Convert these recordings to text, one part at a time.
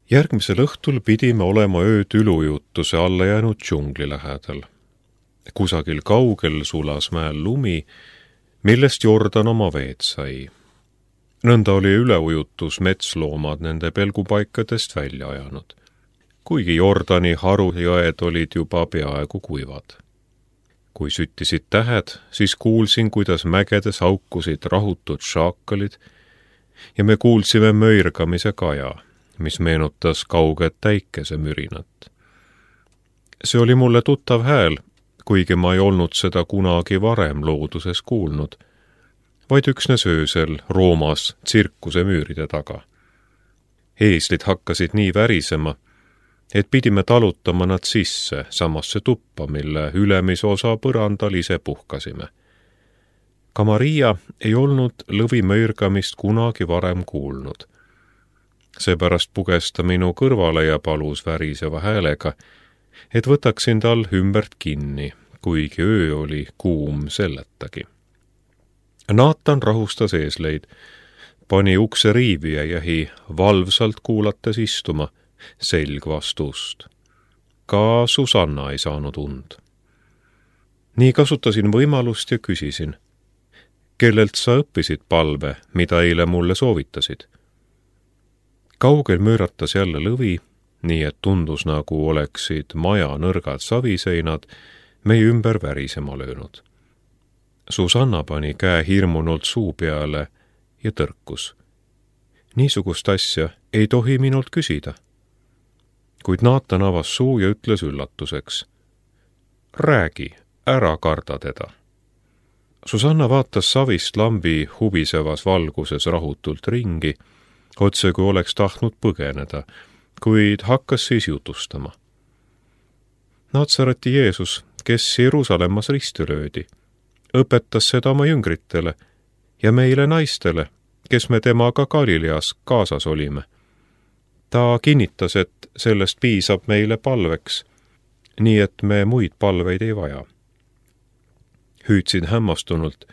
Järgmisel õhtul pidime olema ööd ülujutuse alla jäänud džungli lähedal. Kusagil kaugel sulas mäel lumi, millest Jordan oma veed sai. Nõnda oli üleujutus metsloomad nende pelgupaikadest välja ajanud, kuigi Jordani harujõed olid juba peaaegu kuivad. Kui süttisid tähed, siis kuulsin, kuidas mägedes haukusid rahutud šaakalid ja me kuulsime möirgamise kaja, mis meenutas kauget päikesemürinat. See oli mulle tuttav hääl, kuigi ma ei olnud seda kunagi varem looduses kuulnud, vaid üksnes öösel Roomas tsirkuse müüride taga. Eeslid hakkasid nii värisema, et pidime talutama nad sisse samasse tuppa, mille ülemise osa põrandal ise puhkasime. Ka Maria ei olnud lõvi möirgamist kunagi varem kuulnud. Seepärast puges ta minu kõrvale ja palus väriseva häälega, et võtaksin tal ümbert kinni, kuigi öö oli kuum selletagi. Naatan rahustas eesleid, pani ukse riivi ja jäi valvsalt kuulates istuma, selg vastu ust. Ka Susanna ei saanud und. Nii kasutasin võimalust ja küsisin, kellelt sa õppisid palve, mida eile mulle soovitasid? Kaugel mööratas jälle lõvi, nii et tundus nagu oleksid maja nõrgad saviseinad meie ümber värisema löönud. Susanna pani käe hirmunult suu peale ja tõrkus. Niisugust asja ei tohi minult küsida. Kuid Naatan avas suu ja ütles üllatuseks. Räägi, ära karda teda. Susanna vaatas savist lambi hubisevas valguses rahutult ringi, otse kui oleks tahtnud põgeneda, kuid hakkas siis jutustama. Natsareti Jeesus, kes Jeruusalemmas risti löödi, õpetas seda oma jüngritele ja meile naistele, kes me temaga Galileas kaasas olime. Ta kinnitas, et sellest piisab meile palveks, nii et me muid palveid ei vaja. Hüüdsin hämmastunult,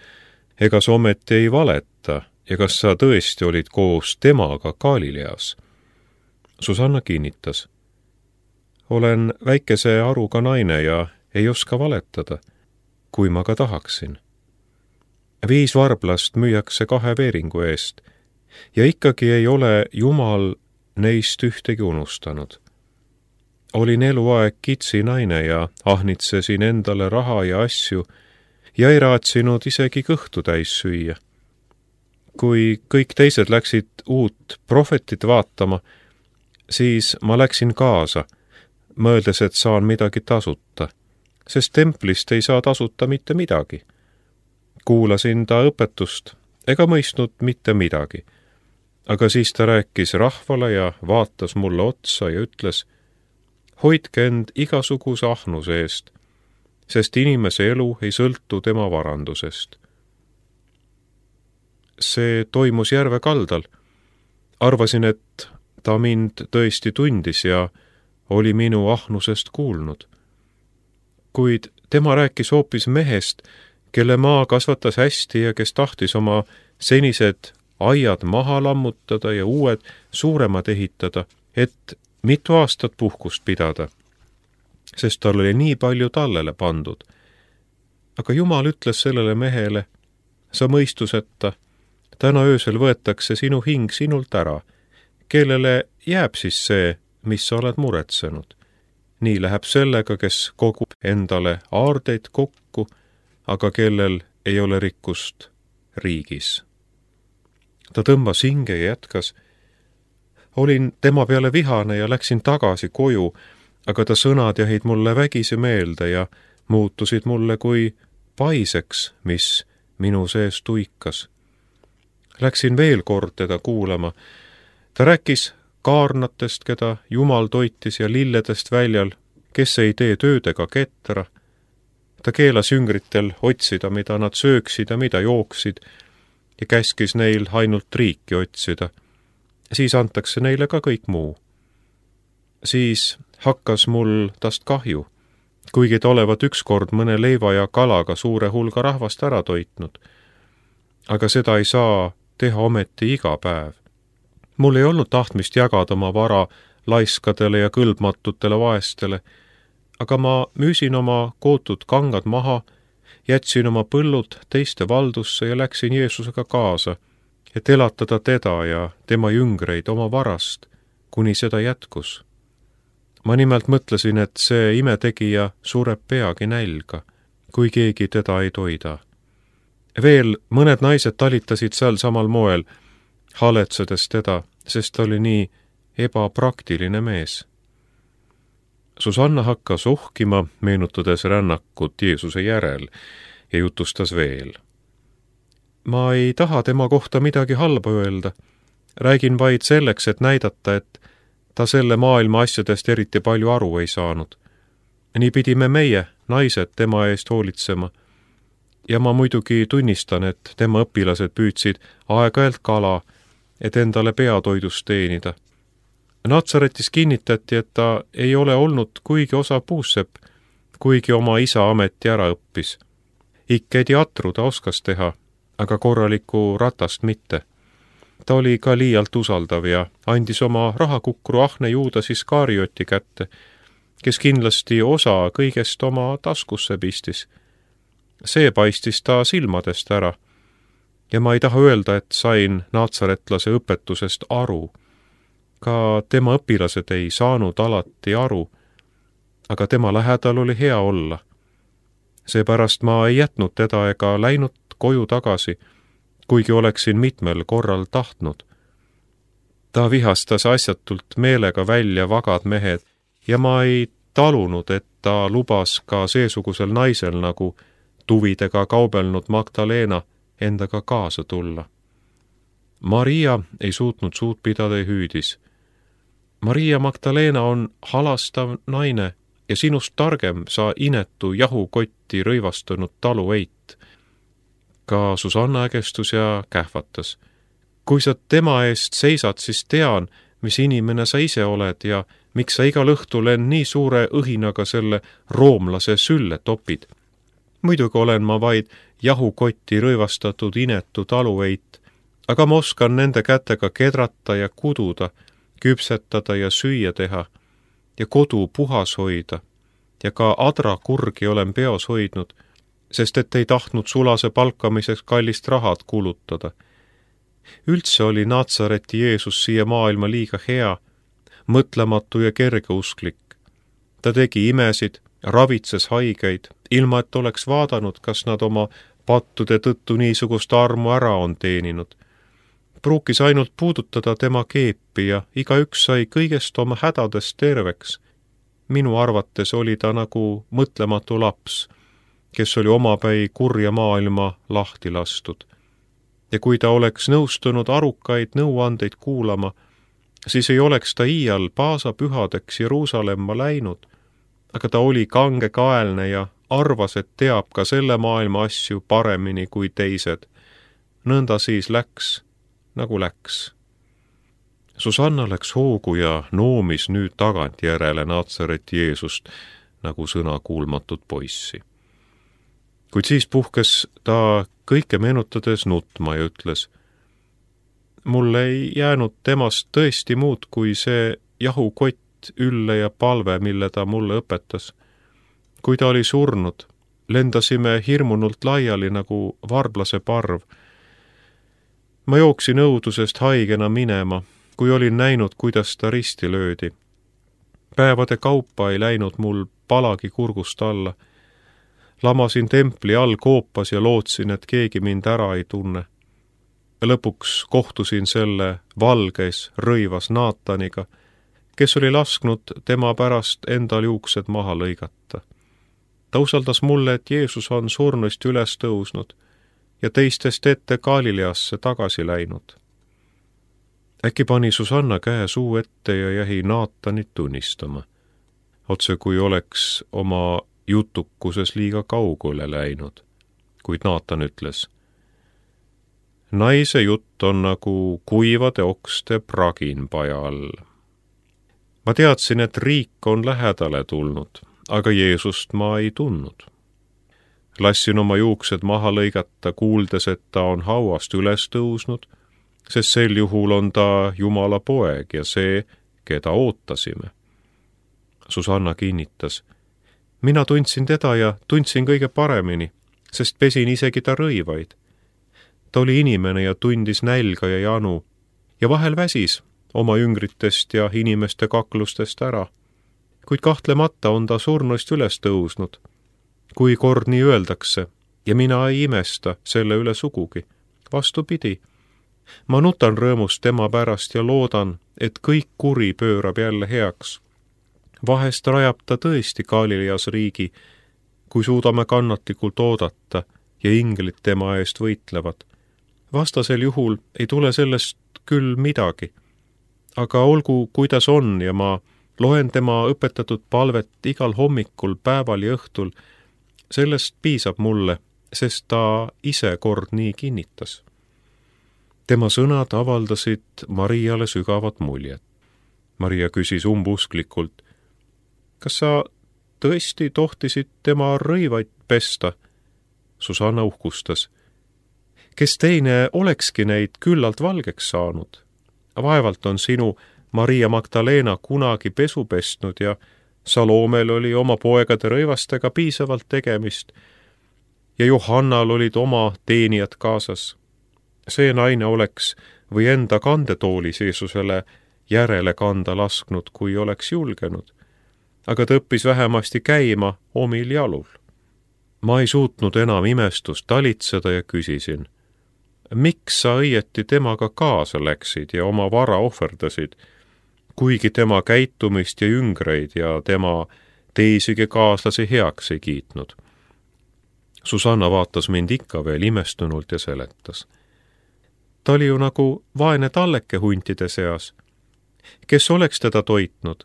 ega sa ometi ei valeta, ja kas sa tõesti olid koos temaga Galileas? Susanna kinnitas. Olen väikese aruga naine ja ei oska valetada, kui ma ka tahaksin. 5 varblast müüakse 2 veeringu eest ja ikkagi ei ole Jumal neist ühtegi unustanud. Olin eluaeg kitsi naine ja ahnitsesin endale raha ja asju ja ei raatsinud isegi kõhtu täis süüa. Kui kõik teised läksid uut prohvetit vaatama, siis ma läksin kaasa, mõeldes, et saan midagi tasuta, sest templist ei saa tasuta mitte midagi. Kuulasin ta õpetust ega mõistnud mitte midagi, aga siis ta rääkis rahvale ja vaatas mulle otsa ja ütles, hoidke end igasuguse ahnuse eest, sest inimese elu ei sõltu tema varandusest. See toimus järve kaldal. Arvasin, et ta mind tõesti tundis ja oli minu ahnusest kuulnud. Kuid tema rääkis hoopis mehest, kelle maa kasvatas hästi ja kes tahtis oma senised aiad maha lammutada ja uued suuremad ehitada, et mitu aastat puhkust pidada, sest tal oli nii palju tallele pandud. Aga Jumal ütles sellele mehele, sa mõistuseta, täna öösel võetakse sinu hing sinult ära, kellele jääb siis see, mis sa oled muretsenud. Nii läheb sellega, kes kogub endale aardeid kokku, aga kellel ei ole rikkust riigis. Ta tõmbas hinge ja jätkas. Olin tema peale vihane ja läksin tagasi koju, aga ta sõnad jäid mulle vägisi meelde ja muutusid mulle kui paiseks, mis minu sees tuikas. Läksin veel kord teda kuulama. Ta rääkis kaarnatest, keda Jumal toitis ja lilledest väljal, kes ei tee töödega ketra. Ta keelas jüngritel otsida, mida nad sööksid ja mida jooksid ja käskis neil ainult riiki otsida. Siis antakse neile ka kõik muu. Siis hakkas mul tast kahju, kuigi ta olevat ükskord mõne leiva ja kalaga suure hulga rahvast ära toitnud. Aga seda ei saa teha ometi iga päev. Mul ei olnud tahtmist jagada oma vara laiskadele ja kõlbmatutele vaestele, aga ma müüsin oma kootud kangad maha, jätsin oma põllud teiste valdusse ja läksin Jeesusega kaasa, et elatada teda ja tema jüngreid oma varast, kuni seda jätkus. Ma nimelt mõtlesin, et see imetegija sureb peagi nälga, kui keegi teda ei toida. Veel mõned naised talitasid seal samal moel, haletsedes teda, sest ta oli nii ebapraktiline mees. Susanna hakkas ohkima, meenutades rännakut Jeesuse järel, ja jutustas veel. Ma ei taha tema kohta midagi halba öelda. Räägin vaid selleks, et näidata, et ta selle maailma asjadest eriti palju aru ei saanud. Nii pidime meie, naised, tema eest hoolitsema. Ja ma muidugi tunnistan, et tema õpilased püüdsid aeg-ajalt kala, et endale peatoidust teenida. Natsaretis kinnitati, et ta ei ole olnud kuigi osa puussepp, kuigi oma isa ameti ära õppis. Ikkedi atru ta oskas teha, aga korralikku ratast mitte. Ta oli ka liialt usaldav ja andis oma rahakukru ahne Juudas Iskarioti kätte, kes kindlasti osa kõigest oma taskusse pistis. See paistis ta silmadest ära. Ja ma ei taha öelda, et sain natsaretlase õpetusest aru. Ka tema õpilased ei saanud alati aru, aga tema lähedal oli hea olla. Seepärast ma ei jätnud teda ega läinud koju tagasi, kuigi oleksin mitmel korral tahtnud. Ta vihastas asjatult meelega välja vagad mehed ja ma ei talunud, et ta lubas ka seesugusel naisel nagu tuvidega kaubelnud Magdalena endaga kaasa tulla. Maria ei suutnud suud pidada ja hüüdis. Maria Magdalena on halastav naine ja sinust targem sa inetu jahukotti rõivastunud taluveit. Ka Susanna ägestus ja kähvatas. Kui sa tema eest seisad, siis tean, mis inimene sa ise oled ja miks sa igal õhtul end nii suure õhinaga selle roomlase sülle topid. Muidugi olen ma vaid jahukotti rõivastatud inetu taluveit, aga ma oskan nende kätega kedrata ja kududa, küpsetada ja süüa teha ja kodu puhas hoida ja ka adrakurgi olen peos hoidnud, sest et ei tahtnud sulase palkamiseks kallist rahad kulutada. Üldse oli Natsareti Jeesus siia maailma liiga hea, mõtlematu ja kergeusklik. Ta tegi imesid, ravitses haigeid, ilma et oleks vaadanud, kas nad oma pattude tõttu niisugust armu ära on teeninud. Pruukis ainult puudutada tema keepi ja igaüks sai kõigest oma hädadest terveks. Minu arvates oli ta nagu mõtlematu laps, kes oli omapäi kurja maailma lahti lastud. Ja kui ta oleks nõustunud arukaid nõuandeid kuulama, siis ei oleks ta iial paasapühadeks Jeruusalemma läinud, aga ta oli kangekaelne ja arvas, et teab ka selle maailma asju paremini kui teised. Nõnda siis läks, nagu läks. Susanna läks hoogu ja noomis nüüd tagantjärele Natsareti Jeesust nagu sõnakuulmatut poissi. Kuid siis puhkes ta kõike meenutades nutma ja ütles, mul ei jäänud temast tõesti muud kui see jahukott, ülle ja palve, mille ta mulle õpetas. Kui ta oli surnud, lendasime hirmunult laiali nagu varblase parv. Ma jooksin õudusest haigena minema, kui olin näinud, kuidas ta risti löödi. Päevade kaupa ei läinud mul palagi kurgust alla. Lamasin templi all koopas ja lootsin, et keegi mind ära ei tunne. Lõpuks kohtusin selle valges, rõivas Naataniga, kes oli lasknud tema pärast endal juuksed maha lõigata. Ta usaldas mulle, et Jeesus on surnuist üles tõusnud ja teistest ette Galileasse tagasi läinud. Äkki pani Susanna käe suu ette ja jäi Naatanit tunnistama, otse kui oleks oma jutukuses liiga kaugele läinud, kuid Naatan ütles, naise jutt on nagu kuivade okste pragin paja all. Ma teadsin, et riik on lähedale tulnud, aga Jeesust ma ei tundnud. Lassin oma juuksed maha lõigata, kuuldes, et ta on hauast üles tõusnud, sest sel juhul on ta Jumala poeg ja see, keda ootasime. Susanna kinnitas. Mina tundsin teda ja tundsin kõige paremini, sest pesin isegi ta rõivaid. Ta oli inimene ja tundis nälga ja janu ja vahel väsis oma jüngritest ja inimeste kaklustest ära. Kuid kahtlemata on ta surnuist üles tõusnud. Kui kord nii öeldakse, ja mina ei imesta selle üle sugugi. Vastupidi, ma nutan rõõmust tema pärast ja loodan, et kõik kuri pöörab jälle heaks. Vahest rajab ta tõesti Galileas riigi, kui suudame kannatlikult oodata ja inglid tema eest võitlevad. Vastasel juhul ei tule sellest küll midagi. Aga olgu, kuidas on ja ma loen tema õpetatud palvet igal hommikul, päeval ja õhtul. Sellest piisab mulle, sest ta ise kord nii kinnitas. Tema sõnad avaldasid Mariale sügavat muljet. Maria küsis umbusklikult, kas sa tõesti tohtisid tema rõivaid pesta? Susanna uhkustas. Kes teine olekski neid küllalt valgeks saanud? Vaevalt on sinu Maria Magdalena kunagi pesu pestnud ja Salomel oli oma poegade rõivastega piisavalt tegemist ja Johannal olid oma teenijad kaasas. See naine oleks või enda kandetoolis Jeesusele järele kanda lasknud, kui oleks julgenud, aga ta õppis vähemasti käima omil jalul. Ma ei suutnud enam imestust talitseda ja küsisin, miks sa õieti temaga kaasa läksid ja oma vara ohverdasid, kuigi tema käitumist ja jüngreid ja tema teisigi kaaslasi heaks ei kiitnud. Susanna vaatas mind ikka veel imestunult ja seletas. Ta oli ju nagu vaene talleke huntide seas. Kes oleks teda toitnud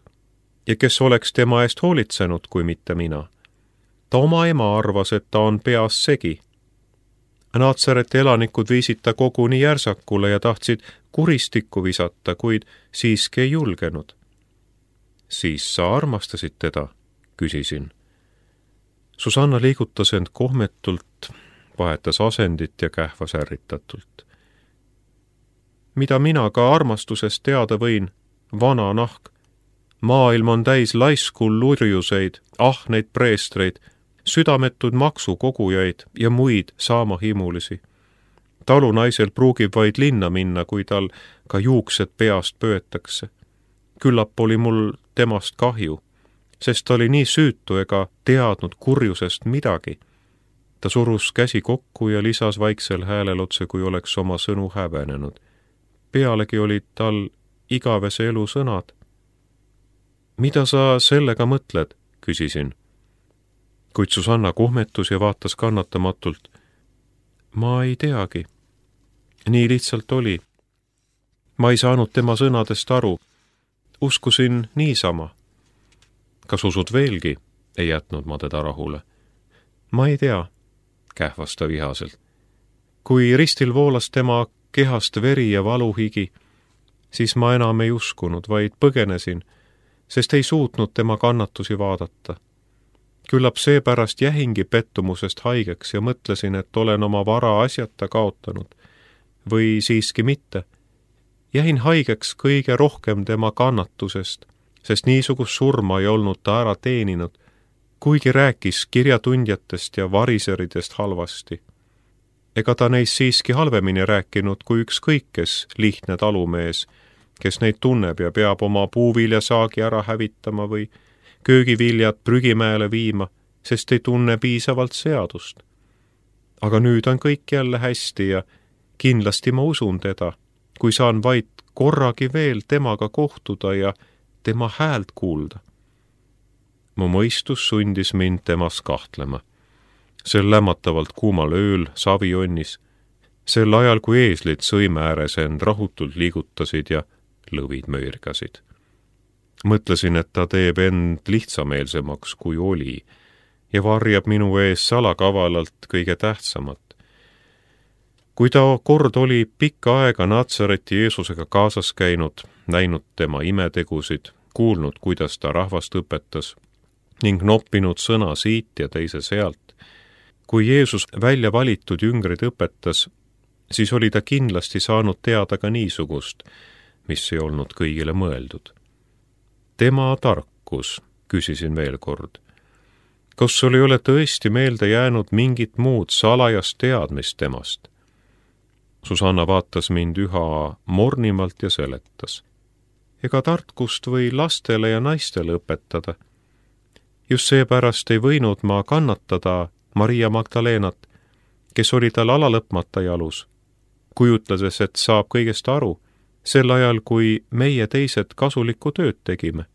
ja kes oleks tema eest hoolitsenud, kui mitte mina? Ta oma ema arvas, et ta on peas segi. Naatsareti elanikud viisid ta koguni järsakule ja tahtsid kuristikku visata, kuid siiski ei julgenud. Siis sa armastasid teda, küsisin. Susanna liigutas end kohmetult, vahetas asendit ja kähvas ärritatult. Mida mina ka armastusest teada võin, vana nahk. Maailm on täis laiskul lurjuseid, ahneid preestreid, südametud maksukogujaid ja muid saamahimulisi. Talunaisel pruugib vaid linna minna, kui tal ka juuksed peast pöötakse. Küllap oli mul temast kahju, sest ta oli nii süütu ega teadnud kurjusest midagi. Ta surus käsi kokku ja lisas vaiksel häälel otse, kui oleks oma sõnu häbenenud. Pealegi olid tal igavese elu sõnad. Mida sa sellega mõtled, küsisin. Kuid Susanna kohmetus ja vaatas kannatamatult. Ma ei teagi. Nii lihtsalt oli. Ma ei saanud tema sõnadest aru. Uskusin niisama. Kas usud veelgi? Ei jätnud ma teda rahule. Ma ei tea, kähvas ta vihaselt. Kui ristil voolas tema kehast veri ja valuhigi, siis ma enam ei uskunud, vaid põgenesin, sest ei suutnud tema kannatusi vaadata. Küllap seepärast jähingi pettumusest haigeks ja mõtlesin, et olen oma vara asjata kaotanud. Või siiski mitte. Jähin haigeks kõige rohkem tema kannatusest, sest niisugust surma ei olnud ta ära teeninud, kuigi rääkis kirjatundjatest ja variseridest halvasti. Ega ta neist siiski halvemini rääkinud kui ükskõik kes lihtne talumees, kes neid tunneb ja peab oma puuviljasaagi ära hävitama või köögiviljad prügimäele viima, sest ei tunne piisavalt seadust. Aga nüüd on kõik jälle hästi ja kindlasti ma usun teda, kui saan vaid korragi veel temaga kohtuda ja tema häält kuulda. Mu mõistus sundis mind temas kahtlema. Sel lämmatavalt kuumal ööl savijonnis, sel ajal kui eeslid sõime ääres end rahutult liigutasid ja lõvid möirgasid. Mõtlesin, et ta teeb end lihtsameelsemaks kui oli ja varjab minu ees salakavalalt kõige tähtsamat. Kui ta kord oli pikka aega Natsareti Jeesusega kaasas käinud, näinud tema imetegusid, kuulnud, kuidas ta rahvast õpetas ning noppinud sõna siit ja teise sealt, kui Jeesus välja valitud jüngrid õpetas, siis oli ta kindlasti saanud teada ka niisugust, mis ei olnud kõigile mõeldud. tema tarkus, küsisin veel kord. Kas sul ei ole tõesti meelde jäänud mingit muud salajast teadmist temast? Susanna vaatas mind üha mornimalt ja seletas. Ega tarkust või lastele ja naistele õpetada. Just seepärast ei võinud ma kannatada Maria Magdalenat, kes oli tal alalõpmata jalus, kujutlades, et saab kõigest aru, sel ajal, kui meie teised kasulikku tööd tegime.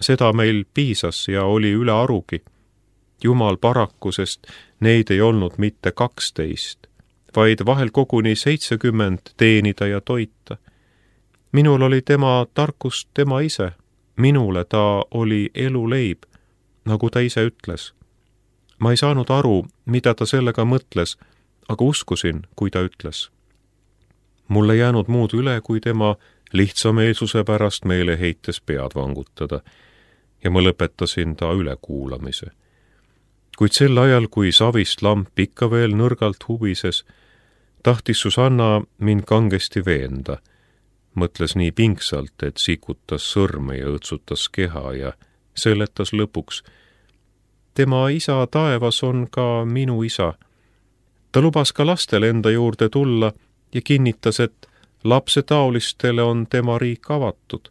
Seda meil piisas ja oli üle arugi. Jumal paraku, sest neid ei olnud mitte 12, vaid vahel koguni 70 teenida ja toita. Minul oli tema tarkust tema ise, minule ta oli eluleib, nagu ta ise ütles. Ma ei saanud aru, mida ta sellega mõtles, aga uskusin, kui ta ütles. Mulle jäänud muud üle, kui tema lihtsameelsuse pärast meile heites pead vangutada ja ma lõpetasin ta ülekuulamise. Kuid sel ajal, kui savist lamp ikka veel nõrgalt huvises, tahtis Susanna mind kangesti veenda. Mõtles nii pingsalt, et sikutas sõrme ja õtsutas keha ja seletas lõpuks. Tema isa taevas on ka minu isa. Ta lubas ka lastele enda juurde tulla ja kinnitas, et lapsetaolistele on tema riik avatud.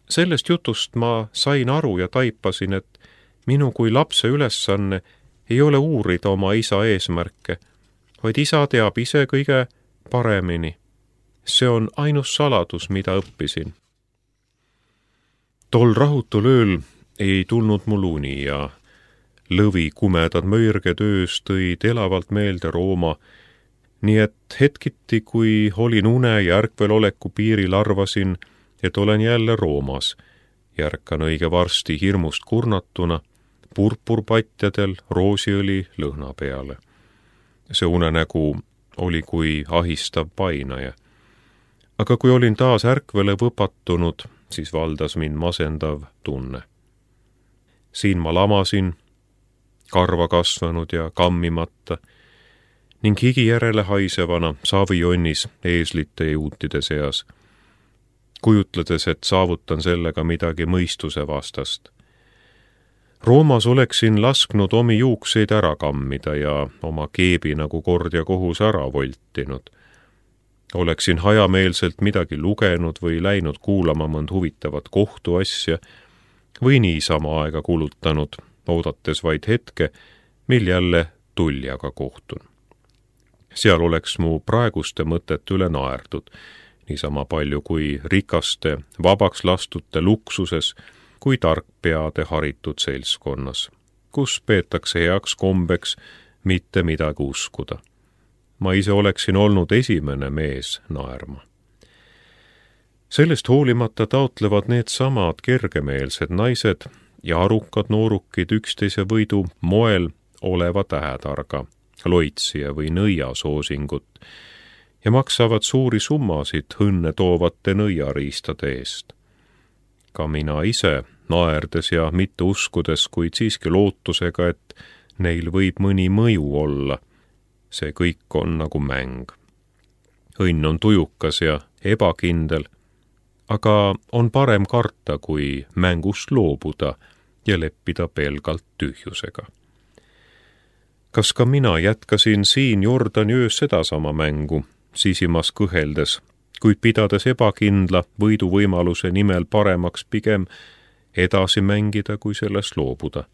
Sellest jutust ma sain aru ja taipasin, et minu kui lapse ülesanne ei ole uurida oma isa eesmärke, vaid isa teab ise kõige paremini. See on ainus saladus, mida õppisin. Tol rahutul ööl ei tulnud mul uni ja lõvi kumedad möirged öös tõid elavalt meelde Rooma, nii et hetkiti, kui olin une ja ärkveloleku piiril, arvasin, et olen jälle Roomas. Järkan õige varsti hirmust kurnatuna, purpurpatjadel roosiõli lõhna peale. See unenägu oli kui ahistav painaja. Aga kui olin taas ärkvele võpatunud, siis valdas mind masendav tunne. Siin ma lamasin, karva kasvanud ja kammimata, ning higi järele haisevana savijonnis eeslite ja juutide seas, kujutledes, et saavutan sellega midagi mõistuse vastast. Roomas oleksin lasknud omi juukseid ära kammida ja oma keebi nagu kord ja kohus ära voltinud. Oleksin hajameelselt midagi lugenud või läinud kuulama mõnd huvitavat kohtuasja või niisama aega kulutanud, oodates vaid hetke, mil jälle tuljaga kohtun. Seal oleks mu praeguste mõtet üle naerdud, niisama palju kui rikaste, vabaks lastute luksuses, kui tarkpeade haritud seltskonnas, kus peetakse heaks kombeks mitte midagi uskuda. Ma ise oleksin olnud esimene mees naerma. Sellest hoolimata taotlevad need samad kergemeelsed naised ja arukad noorukid üksteise võidu moel oleva tähetarga, loitsija või nõia soosingut ja maksavad suuri summasid õnne toovate nõiariistade eest. Ka mina ise, naerdes ja mitte uskudes, kuid siiski lootusega, et neil võib mõni mõju olla. See kõik on nagu mäng. Õnn on tujukas ja ebakindel, aga on parem karta, kui mängust loobuda ja leppida pelgalt tühjusega. Kas ka mina jätkasin siin Jordani öös sedasama mängu, sisimas kõheldes, kuid pidades ebakindla võiduvõimaluse nimel paremaks pigem edasi mängida, kui sellest loobuda,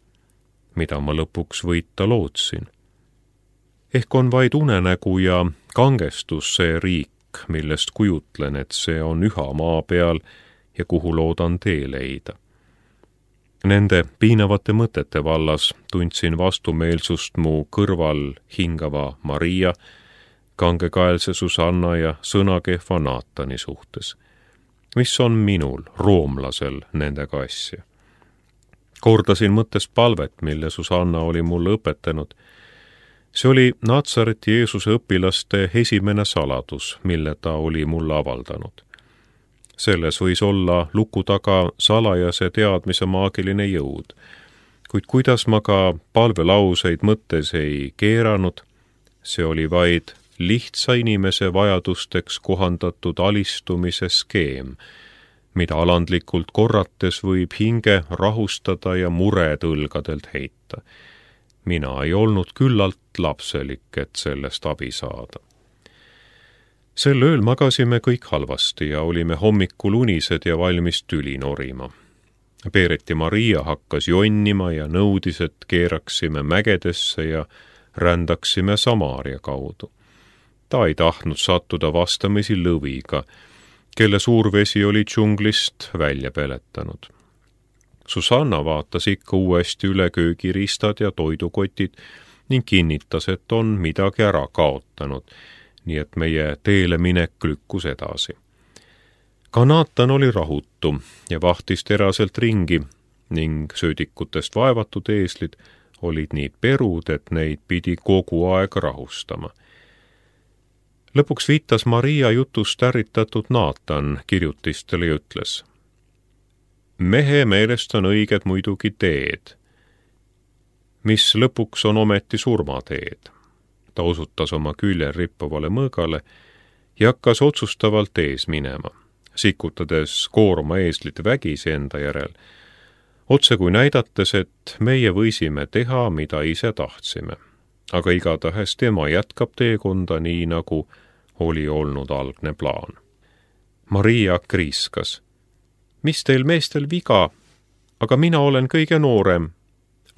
mida ma lõpuks võita lootsin. Ehk on vaid unenägu ja kangestus see riik, millest kujutlen, et see on üha maa peal ja kuhu loodan tee leida. Nende piinavate mõtete vallas tundsin vastumeelsust mu kõrval hingava Maria, kangekaelse Susanna ja sõnakehva Naatani suhtes. Mis on minul, roomlasel, nendega asja? Kordasin mõttes palvet, mille Susanna oli mulle õpetanud. See oli Natsareti Jeesuse õpilaste esimene saladus, mille ta oli mulle avaldanud. Selles võis olla luku taga salajase teadmise maagiline jõud, kuid kuidas ma ka palvelauseid mõttes ei keeranud, see oli vaid lihtsa inimese vajadusteks kohandatud alistumise skeem, mida alandlikult korrates võib hinge rahustada ja mured õlgadelt heita. Mina ei olnud küllalt lapselik, et sellest abi saada. Sel ööl magasime kõik halvasti ja olime hommikul unised ja valmis tüli norima. Peereti Maria hakkas jonnima ja nõudis, et keeraksime mägedesse ja rändaksime Samaaria kaudu. Ta ei tahtnud sattuda vastamisi lõviga, kelle suurvesi oli džunglist välja peletanud. Susanna vaatas ikka uuesti üle köögiristad ja toidukotid ning kinnitas, et on midagi ära kaotanud, nii et meie teele minek lükkus edasi. Ka Naatan oli rahutu ja vahtis teraselt ringi ning söödikutest vaevatud eeslid olid nii perud, et neid pidi kogu aeg rahustama. Lõpuks viitas Maria jutust ärritatud Naatan kirjutistele ja ütles: mehe meelest on õiged muidugi teed, mis lõpuks on ometi surmateed. Ta osutas oma küljel rippuvale mõõgale ja hakkas otsustavalt ees minema, sikutades koorma eeslit vägisi enda järel, otse kui näidates, et meie võisime teha, mida ise tahtsime. Aga igatahes tema jätkab teekonda nii, nagu oli olnud algne plaan. Maria kriiskas: mis teil meestel viga, aga mina olen kõige noorem.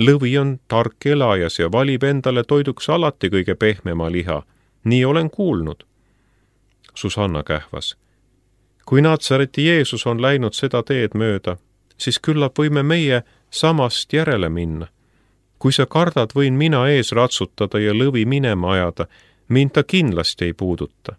Lõvi on tark elajas ja valib endale toiduks alati kõige pehmema liha. Nii olen kuulnud. Susanna kähvas: kui Naatsareti Jeesus on läinud seda teed mööda, siis küllap võime meie samast järele minna. Kui sa kardad, võin mina ees ratsutada ja lõvi minema ajada, mind ta kindlasti ei puuduta.